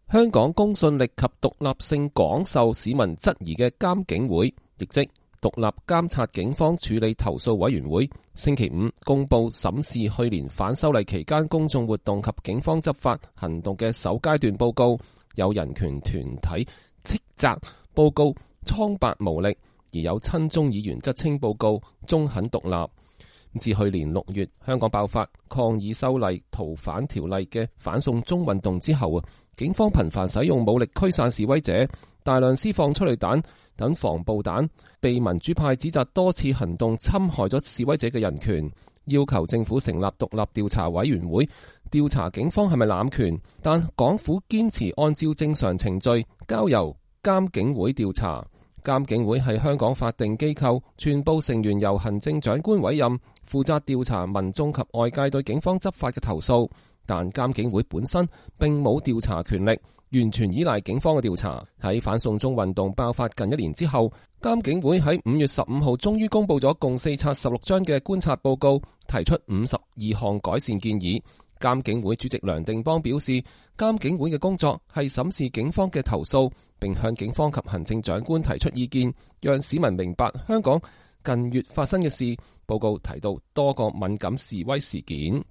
香港公信力及獨立性廣受市民質疑嘅監警會，亦即獨立監察警方處理投訴委員會，星期五公布審視去年反修例期間公眾活動及警方執法行動嘅首階段報告。有人權團體斥責報告蒼白無力，而有親中議員則稱報告中肯獨立。自去年6月香港爆發抗議修例逃犯條例嘅反送中運動之後，警方頻繁使用武力驅散示威者，大量施放催淚彈等防暴彈，被民主派指責多次行動侵害咗示威者嘅人權，要求政府成立獨立調查委員會調查警方係咪濫權，但港府堅持按照正常程序交由監警會調查。監警會係香港法定機構，全部成員由行政長官委任，負責調查民眾及外界對警方執法嘅投訴。但監警會本身並冇調查權力，完全依賴警方嘅調查。喺反送中運動爆發近1年之後，監警會喺5月15號終於公布咗共4冊16張嘅觀察報告，提出52項改善建議。監警會主席梁定邦表示，監警會嘅工作係審視警方嘅投訴，並向警方及行政長官提出意見，讓市民明白香港近月發生嘅事。報告提到多個敏感示威事件。